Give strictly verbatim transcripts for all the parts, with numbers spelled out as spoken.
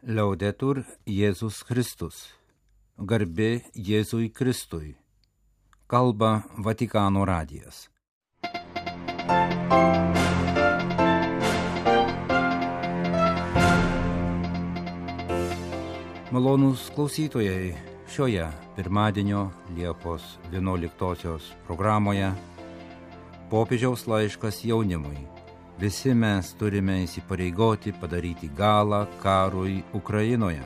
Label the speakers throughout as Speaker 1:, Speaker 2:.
Speaker 1: Laudetur Jėzus Kristus. Garbė Jėzui Kristui. Kalba Vatikano radijas. Malonūs klausytojai, šioje pirmadienio Liepos vienuoliktosios programoje popiežiaus laiškas jaunimui. Visi mes turime įsipareigoti padaryti galą karui Ukrainoje.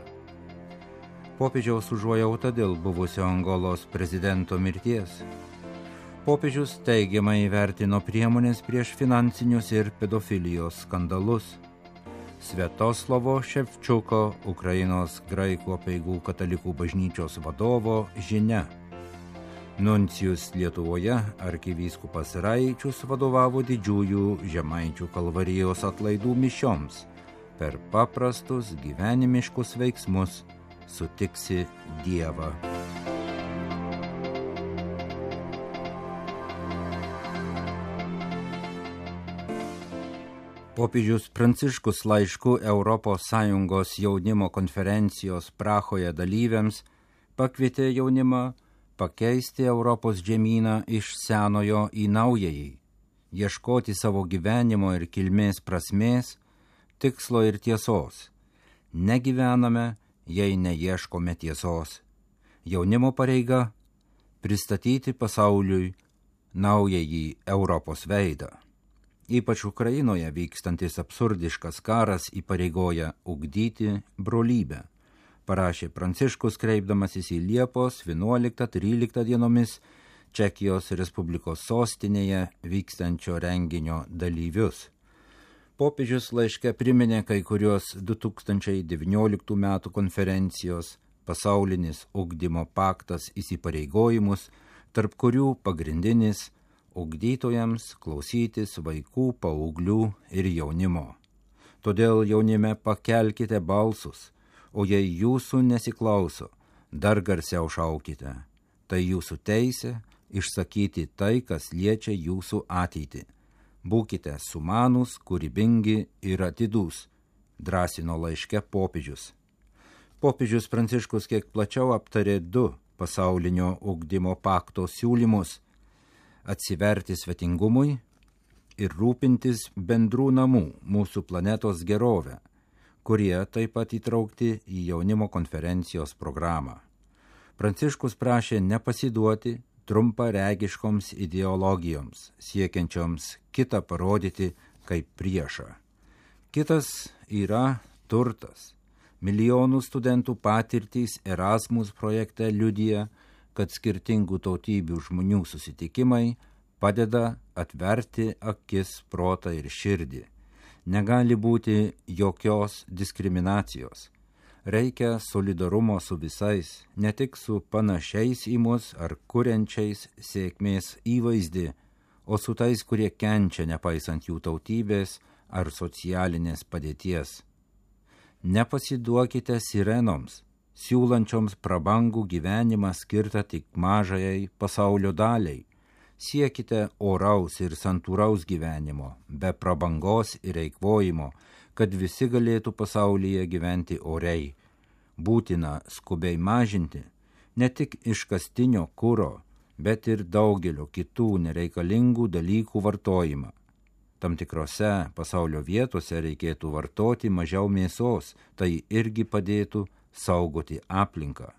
Speaker 1: Popiežiaus užuojauta dėl buvusio Angolos prezidento mirties. Popiežius teigiamai įvertino priemonės prieš finansinius ir pedofilijos skandalus. Sviatoslavo Ševčiuko, Ukrainos graikų apeigų katalikų bažnyčios vadovo žinia. Nuncijus Lietuvoje arkivyskupas Raičius vadovavo didžiųjų Žemaičių kalvarijos atlaidų mišioms. Per paprastus gyvenimiškus veiksmus sutiksi Dievą. Popiežius Pranciškus laišku Europos Sąjungos jaunimo konferencijos Prahoje dalyviams pakvietė jaunimą pakeisti Europos žemyną iš senojo į naująjį, ieškoti savo gyvenimo ir kilmės prasmės, tikslo ir tiesos. Negyvename, jei neieškome tiesos. Jaunimo pareiga – pristatyti pasauliui naująjį Europos veidą. Ypač Ukrainoje vykstantis absurdiškas karas įpareigoja ugdyti brolybę, parašė Pranciškus kreipdamasis į Liepos vienuoliktą-tryliktą dienomis Čekijos Respublikos sostinėje vykstančio renginio dalyvius. Popiežius laiške priminė kai kurios du tūkstančiai devynioliktų metų konferencijos pasaulinis ugdymo paktas įsipareigojimus, tarp kurių pagrindinis ugdytojams klausytis vaikų, paauglių ir jaunimo. Todėl jaunime pakelkite balsus, o jei jūsų nesiklauso, dar garsiau šaukite. Tai jūsų teisė išsakyti tai, kas liečia jūsų ateitį. Būkite sumanūs, kūrybingi ir atidūs, drąsino laiške popiežius. Popiežius Pranciškus kiek plačiau aptarė du pasaulinio ugdymo pakto siūlymus – atsiverti svetingumui ir rūpintis bendrų namų mūsų planetos gerovę, kurie taip pat įtraukti į jaunimo konferencijos programą. Pranciškus prašė nepasiduoti trumparegiškoms ideologijoms, siekiančioms kitą parodyti kaip priešą. Kitas yra turtas. Milijonų studentų patirtys Erasmus projekte liudija, kad skirtingų tautybių žmonių susitikimai padeda atverti akis, protą ir širdį. Negali būti jokios diskriminacijos. Reikia solidarumo su visais, ne tik su panašiais į mus ar kuriančiais sėkmės įvaizdį, o su tais, kurie kenčia nepaisant jų tautybės ar socialinės padėties. Nepasiduokite sirenoms, siūlančioms prabangų gyvenimą skirtą tik mažajai pasaulio daliai. Siekite oraus ir santūraus gyvenimo, be prabangos ir eikvojimo, kad visi galėtų pasaulyje gyventi oriai. Būtina skubiai mažinti ne tik iškastinio kuro, bet ir daugelio kitų nereikalingų dalykų vartojimą. Tam tikrose pasaulio vietose reikėtų vartoti mažiau mėsos, tai irgi padėtų saugoti aplinką.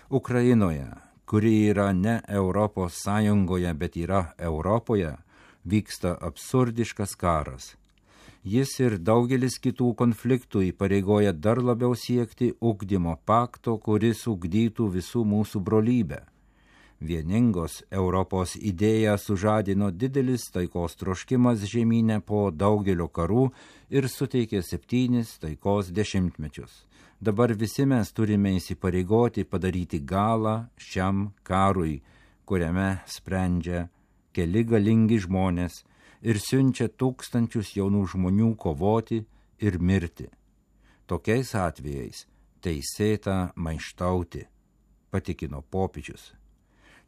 Speaker 1: Ukrainoje, kuri yra ne Europos Sąjungoje, bet yra Europoje, vyksta absurdiškas karas. Jis ir daugelis kitų konfliktų įpareigoja dar labiau siekti ugdymo pakto, kuris ugdytų visų mūsų brolybę. Vieningos Europos idėją sužadino didelis taikos troškimas žemyne po daugelio karų ir suteikė septynis taikos dešimtmečius. Dabar visi mes turime įsipareigoti padaryti galą šiam karui, kuriame sprendžia keli galingi žmonės ir siunčia tūkstančius jaunų žmonių kovoti ir mirti. Tokiais atvejais teisėta maištauti, patikino popiežius.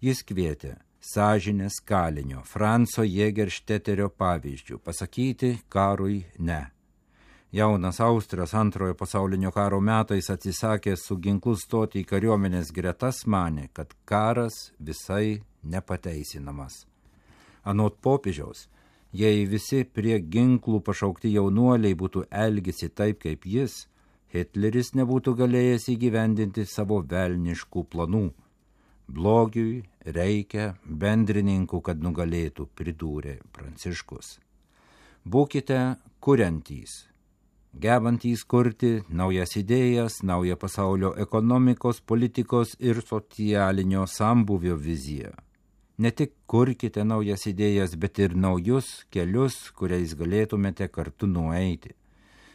Speaker 1: Jis kvietė sąžinės kalinio Franco Jägeršteterio pavyzdžių pasakyti karui ne. Jaunas Austras antrojo pasaulinio karo metais atsisakęs su ginklu stoti į kariuomenės gretas manė, kad karas visai nepateisinamas. Anot popiežiaus, jei visi prie ginklų pašaukti jaunuoliai būtų elgėsi taip kaip jis, Hitleris nebūtų galėjęs įgyvendinti savo velniškų planų. Blogiui reikia bendrininkų, kad nugalėtų, pridūrė Pranciškus. Būkite kuriantys, gebantys kurti naujas idėjas, naują pasaulio ekonomikos, politikos ir socialinio sambūvio viziją. Ne tik kurkite naujas idėjas, bet ir naujus kelius, kuriais galėtumėte kartu nueiti.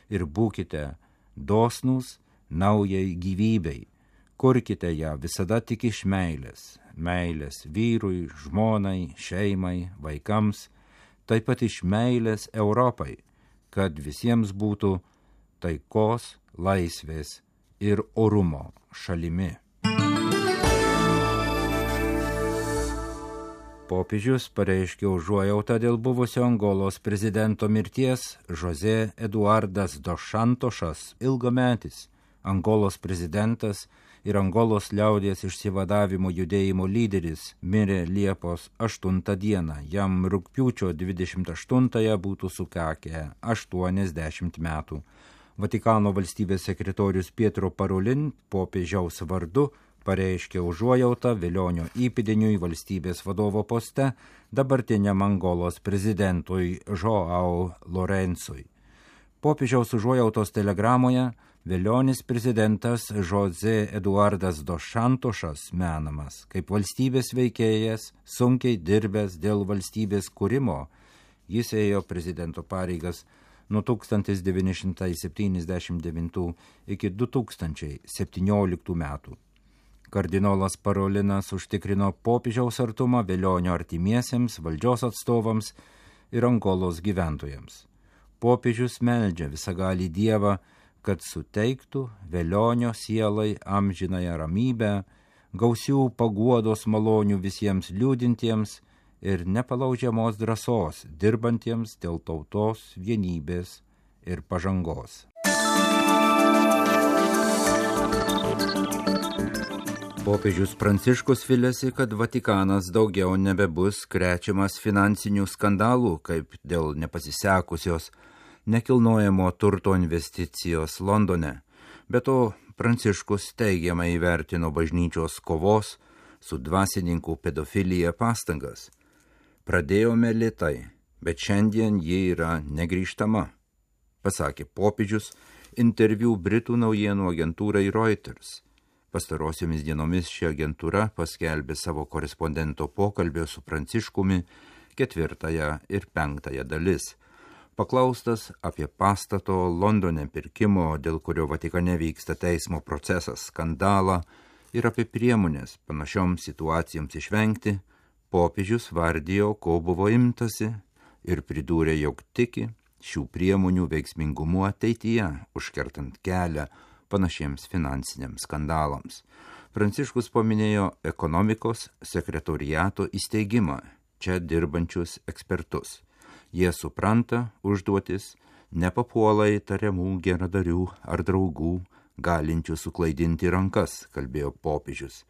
Speaker 1: Ir būkite dosnūs naujai gyvybei. Kurkite ją visada tik iš meilės. Meilės vyrui, žmonai, šeimai, vaikams, taip pat iš meilės Europai, kad visiems būtų taikos, laisvės ir orumo šalimi. Popiežius pareiškė užuojautą dėl buvusio Angolos prezidento mirties. José Eduardas dos Santošas, ilgametis Angolos prezidentas ir Angolos liaudies išsivadavimo judėjimo lyderis, mirė Liepos aštuntą dieną. Jam rugpjūčio dvidešimt aštuntąją būtų sukakę aštuoniasdešimt metų. Vatikano valstybės sekretorius Pietro Parolin popiežiaus vardu pareiškė užuojautą Velionio įpėdiniui valstybės vadovo poste dabartiniam Angolos prezidentui Joao Lourencui. Popiežiaus užuojautos telegramoje Velionis prezidentas José Eduardas dos Santošas menamas kaip valstybės veikėjas, sunkiai dirbęs dėl valstybės kūrimo. Jis ėjo prezidento pareigas nuo tūkstantis devyni šimtai septyniasdešimt devintų iki du tūkstančiai septynioliktų metų. Kardinolas Parolinas užtikrino popiežiaus artumą Velionio artimiesiems, valdžios atstovams ir Angolos gyventojams. Popiežius meldžia visagalį Dievą, kad suteiktų Velionio sielai amžinąją ramybę, gausių paguodos malonių visiems liūdintiems ir nepalaužiamos drąsos dirbantiems dėl tautos vienybės ir pažangos. Popiežius Pranciškus viliasi, kad Vatikanas daugiau nebebus krečiamas finansinių skandalų, kaip dėl nepasisekusios nekilnojamo turto investicijos Londone. Be to, Pranciškus teigiamai įvertino bažnyčios kovos su dvasininkų pedofilija pastangas. Pradėjome lėtai, bet šiandien ji yra negrįžtama, pasakė popiežius interviu Britų naujienų agentūrai Reuters. Pastarosiomis dienomis ši agentūra paskelbė savo korespondento pokalbio su Pranciškumi ketvirtąją ir penktąją dalis. Paklaustas apie pastato Londone pirkimo, dėl kurio Vatikane vyksta teismo procesas, skandalą ir apie priemonės panašioms situacijoms išvengti, popiežius vardijo, ko buvo imtasi ir pridūrė, jog tiki šių priemonių veiksmingumu ateityje, užkertant kelią panašiems finansiniams skandalams. Pranciškus paminėjo ekonomikos sekretoriato įsteigimą, čia dirbančius ekspertus. Jie supranta užduotis, nepapuola į tariamų geradarių ar draugų, galinčių suklaidinti rankas, kalbėjo popiežius.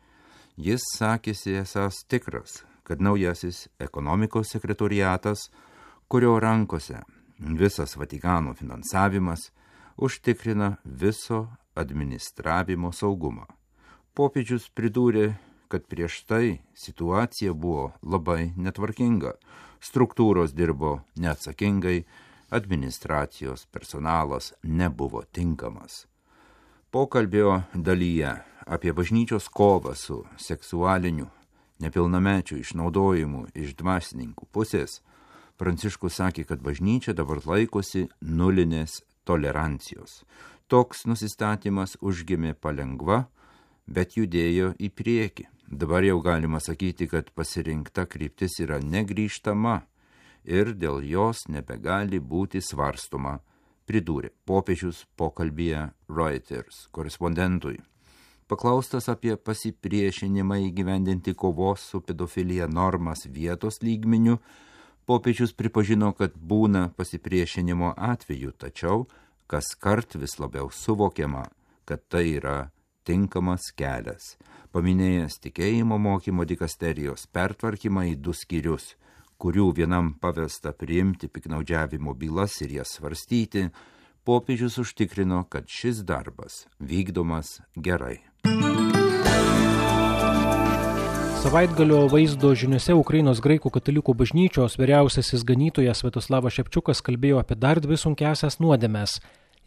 Speaker 1: Jis sakėsi esąs tikras, kad naujasis ekonomikos sekretoriatas, kurio rankose visas Vatikano finansavimas, užtikrina viso administravimo saugumą. Popiežius pridūrė, kad prieš tai situacija buvo labai netvarkinga, struktūros dirbo neatsakingai, administracijos personalas nebuvo tinkamas. Pokalbio dalyje apie bažnyčios kovą su seksualiniu nepilnamečių išnaudojimu iš dvasininkų pusės, Pranciškus sakė, kad bažnyčia dabar laikosi nulinės tolerancijos. Toks nusistatymas užgimė palengva, bet judėjo į priekį. Dabar jau galima sakyti, kad pasirinkta kryptis yra negrįžtama ir dėl jos nebegali būti svarstoma, pridūrė popiežius pokalbyje Reuters korespondentui. Paklaustas apie pasipriešinimą įgyvendinti kovos su pedofilija normas vietos lygmeniu, popiežius pripažino, kad būna pasipriešinimo atveju, tačiau kas kart vis labiau suvokiama, kad tai yra tinkamas kelias. Paminėjęs tikėjimo mokymo dikasterijos pertvarkymą į du skyrius, kurių vienam pavesta priimti piknaudžiavimo bylas ir jas svarstyti, popiežius užtikrino, kad šis darbas vykdomas gerai.
Speaker 2: Savaitgalio vaizdo žiniuose Ukrainos graikų katalikų bažnyčios vyriausiasis ganytojas Sviatoslavas Šepčiukas kalbėjo apie dar dvi sunkiasias nuodėmes.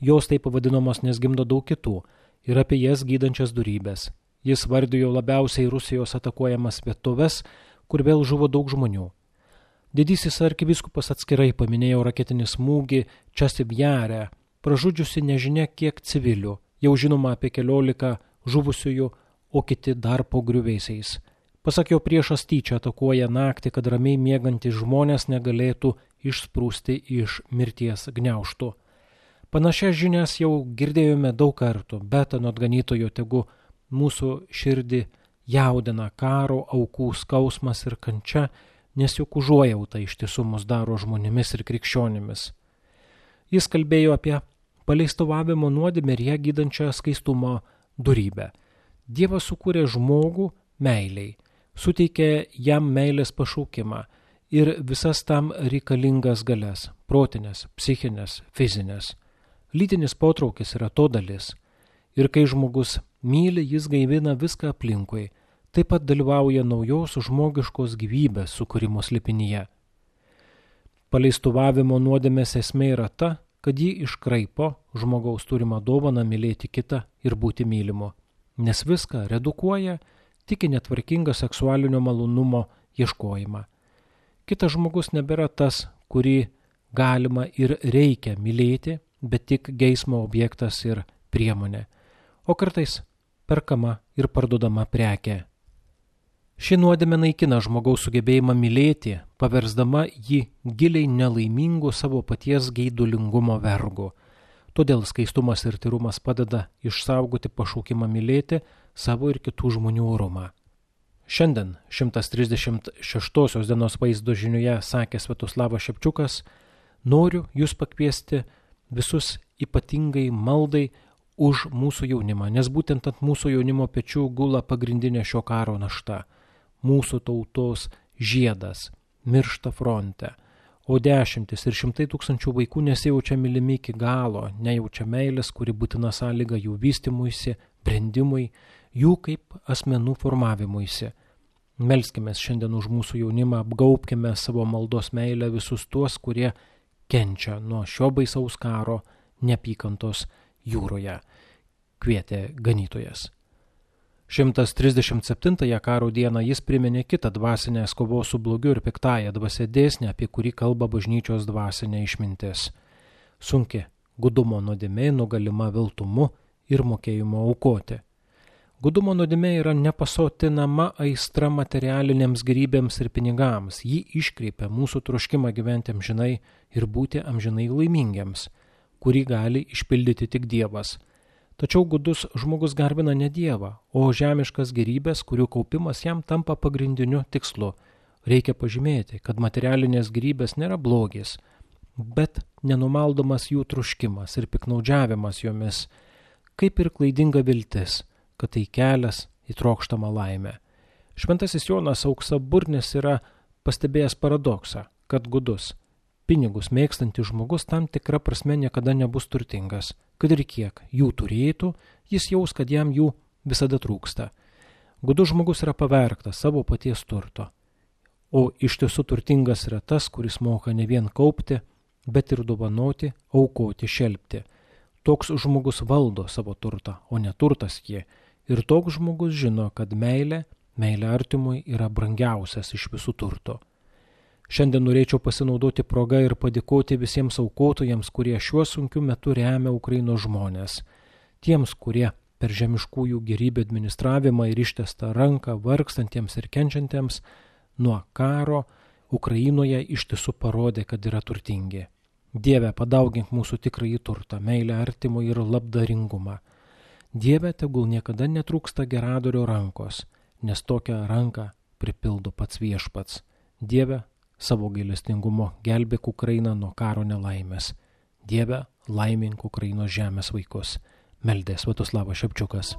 Speaker 2: Jos taip pavadinamos, nes gimdo daug kitų, ir apie jas gydančias dorybes. Jis vardijo labiausiai Rusijos atakuojamas vietoves, kur vėl žuvo daug žmonių. Didysis arkivyskupas atskirai paminėjo raketinį smūgį Časivjare, pražudžiusi nežinia kiek civilių, jau žinoma apie keliolika žuvusiųjų, o kiti dar po griuvėsiais. Pasak jo, priešas tyčia atakuoja naktį, kad ramiai miegantys žmonės negalėtų išsprūsti iš mirties gniaužtų. Panašias žinias jau girdėjome daug kartų, bet anot ganytojo tegu mūsų širdį jaudina karo aukų skausmas ir kančia, nes juk užuojauta iš tiesų mus daro žmonėmis ir krikščionimis. Jis kalbėjo apie paleistuvavimo nuodėmę ir ją gydančią skaistumo dorybę. Dievas sukūrė žmogų meiliai, suteikė jam meilės pašaukimą ir visas tam reikalingas galias – protinės, psichinės, fizinės. Lytinis potraukis yra to dalis. Ir kai žmogus myli, jis gaivina viską aplinkui, taip pat dalyvauja naujos žmogiškos gyvybės sukūrimo slėpinyje. Paleistuvavimo nuodėmės esmė yra ta, kad ji iškraipo žmogaus turimą dovaną mylėti kitą ir būti mylimu, nes viską redukuoja tik į netvarkingą seksualinio malonumo ieškojimą. Kitas žmogus nebėra tas, kurį galima ir reikia mylėti, bet tik geismo objektas ir priemonė, o kartais perkama ir parduodama prekė. Ši nuodėmė naikina žmogaus sugebėjimą mylėti, paversdama jį giliai nelaimingu savo paties geidulingumo vergu. Todėl skaistumas ir tyrumas padeda išsaugoti pašaukimą mylėti savo ir kitų žmonių orumą. Šiandien šimtas trisdešimt šeštosios dienos vaizdo žiniuje sakė Sviatoslavas Šepčiukas, noriu jūs pakviesti visus ypatingai maldai už mūsų jaunimą, nes būtent ant mūsų jaunimo pečių gula pagrindinė šio karo našta. Mūsų tautos žiedas miršta fronte, o dešimtis ir šimtai tūkstančių vaikų nesijaučia mylimi iki galo, nejaučia meilės, kuri būtina sąlyga jų vystymuisi, brendimui, jų kaip asmenų formavimuisi. Melskimės šiandien už mūsų jaunimą, apgaubkime savo maldos meilę visus tuos, kurie kenčia nuo šio baisaus karo neapykantos jūroje, kvietė ganytojas. šimtas trisdešimt septintąją karo dieną jis priminė kitą dvasinės kovos su blogiu ir piktąja dvasia dėsnį, apie kurį kalba bažnyčios dvasinė išmintis. Sunki gudumo nuodėmė nugalima viltumu ir mokėjimu aukoti. Gudumo nuodėmė yra nepasotinama aistra materialinėms gėrybėms ir pinigams. Ji iškreipia mūsų troškimą gyventi amžinai ir būti amžinai laimingiams, kurį gali išpildyti tik Dievas. Tačiau gudus žmogus garbina ne Dievą, o žemiškas gėrybės, kurių kaupimas jam tampa pagrindiniu tikslu. Reikia pažymėti, kad materialinės gėrybės nėra blogis, bet nenumaldomas jų troškimas ir piknaudžiavimas jomis, kaip ir klaidinga viltis, kad tai kelias į trokštamą laimę. Šventasis Jonas Auksaburnis yra pastebėjęs paradoksą, kad gudus, pinigus mėgstantis žmogus tam tikra prasme niekada nebus turtingas, kad ir kiek jų turėtų, jis jaus, kad jam jų visada trūksta. Gudus žmogus yra pavergtas savo paties turto, o iš tiesų turtingas yra tas, kuris moka ne vien kaupti, bet ir dovanoti, aukoti, šelpti. Toks žmogus valdo savo turtą, o ne turtas jį. Ir toks žmogus žino, kad meilė, meilė artimui yra brangiausias iš visų turto. Šiandien norėčiau pasinaudoti progą ir padėkoti visiems aukotojams, kurie šiuo sunkiu metu remia Ukrainos žmonės. Tiems, kurie per žemiškųjų gėrybių administravimą ir ištestą ranką vargstantiems ir kenčiantiems nuo karo Ukrainoje iš tiesų parodė, kad yra turtingi. Dieve, padaugink mūsų tikrąjį turtą, meilę artimui ir labdaringumą. Dieve, tegul niekada netrūksta geradorio rankos, nes tokią ranką pripildo pats viešpats. Dieve, savo gailestingumo gelbėk Ukrainą nuo karo nelaimės. Dieve, laimink Ukrainos žemės vaikus. Meldė Sviatoslavas Šepčiukas.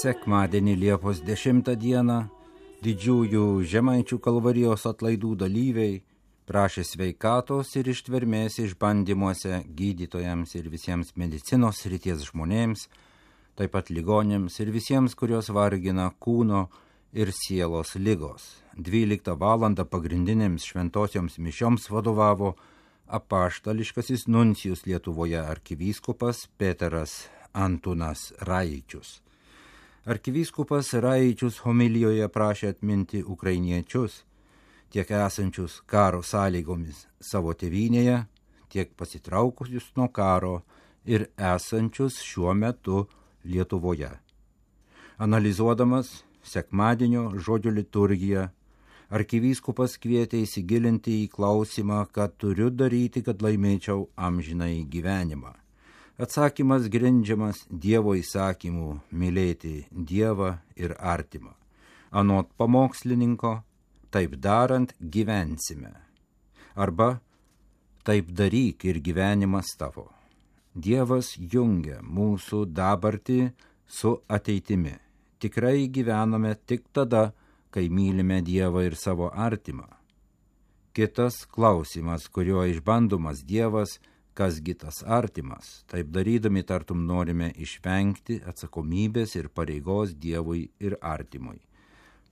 Speaker 1: Sekmadienį Liepos dešimtą dieną didžiųjų Žemaičių Kalvarijos atlaidų dalyviai prašė sveikatos ir ištvermės išbandymuose gydytojams ir visiems medicinos srities žmonėms, taip pat ligonėms ir visiems, kurios vargina kūno ir sielos ligos. dvyliktą valandą pagrindinėms šventosioms mišioms vadovavo apaštališkasis nuncijus Lietuvoje arkivyskupas Peteras Antunas Raičius. Arkivyskupas Raičius homilijoje prašė atminti ukrainiečius, tiek esančius karo sąlygomis savo tėvynėje, tiek pasitraukusius nuo karo ir esančius šiuo metu Lietuvoje. Analizuodamas sekmadienio žodžio liturgiją, arkivyskupas kvietė įsigilinti į klausimą, ką turiu daryti, kad laimėčiau amžinąjį gyvenimą. Atsakymas grindžiamas Dievo įsakymu mylėti Dievą ir artimą. Anot pamokslininko, taip darant gyvensime. Arba taip daryk ir gyvenimas tavo. Dievas jungia mūsų dabartį su ateitimi. Tikrai gyvename tik tada, kai mylime Dievą ir savo artimą. Kitas klausimas, kuriuo išbandomas Dievas, kasgi tas artimas. Taip darydami tartum norime išvengti atsakomybės ir pareigos Dievui ir artimui.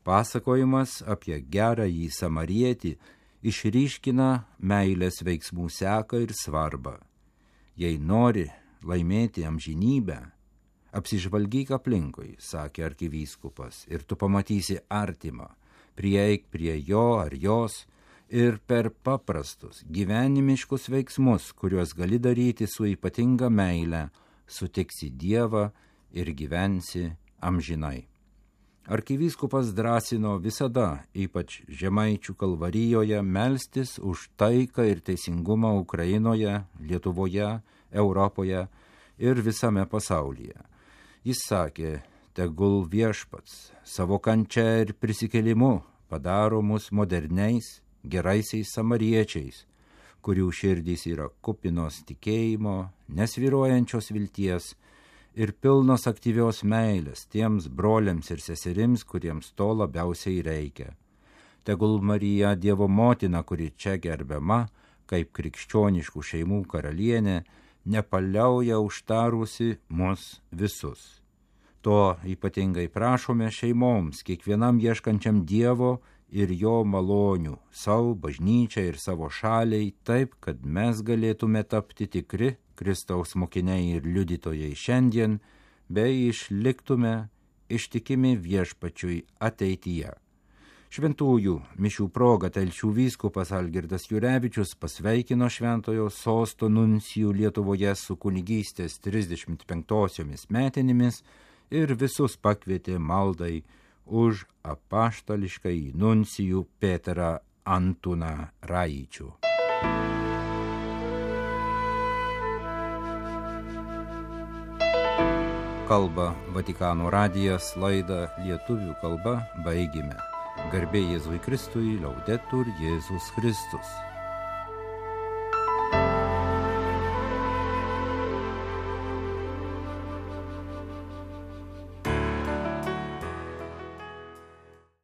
Speaker 1: Pasakojimas apie gerąjį samarietį išryškina meilės veiksmų seką ir svarbą. Jei nori laimėti amžinybę, apsižvalgyk aplinkui, sakė arkivyskupas, ir tu pamatysi artimą, prieik prie jo ar jos ir per paprastus gyvenimiškus veiksmus, kuriuos gali daryti su ypatinga meile, sutiksi Dievą ir gyvensi amžinai. Arkivyskupas drąsino visada, ypač Žemaičių Kalvarijoje, melstis už taiką ir teisingumą Ukrainoje, Lietuvoje, Europoje ir visame pasaulyje. Jis sakė, tegul Viešpats savo kančia ir prisikėlimu padaro mus moderniais, geraisiais samariečiais, kurių širdys yra kupinos tikėjimo, nesvyruojančios vilties ir pilnos aktyvios meilės tiems broliams ir seserims, kuriems to labiausiai reikia. Tegul Marija, Dievo motina, kuri čia gerbiama, kaip krikščioniškų šeimų karalienė, nepaliauja užtarusi mus visus. To ypatingai prašome šeimoms, kiekvienam ieškančiam Dievo ir jo malonių, savo bažnyčiai ir savo šaliai, taip, kad mes galėtume tapti tikri Kristaus mokiniai ir liudytojai šiandien, bei išliktume ištikimi Viešpačiui ateityje. Šventųjų mišių proga Telšių vyskupas Algirdas Jurevičius pasveikino šventojo sosto nuncijų Lietuvoje su kunigystės trisdešimt penktosiomis metinėmis ir visus pakvietė maldai už apaštališkąjį nuncijų Peterą Antuną Raičių. Kalba Vatikano radijas, laidą lietuvių kalba baigime. Garbė Jėzui Kristui, Laudetur Jėzus Kristus.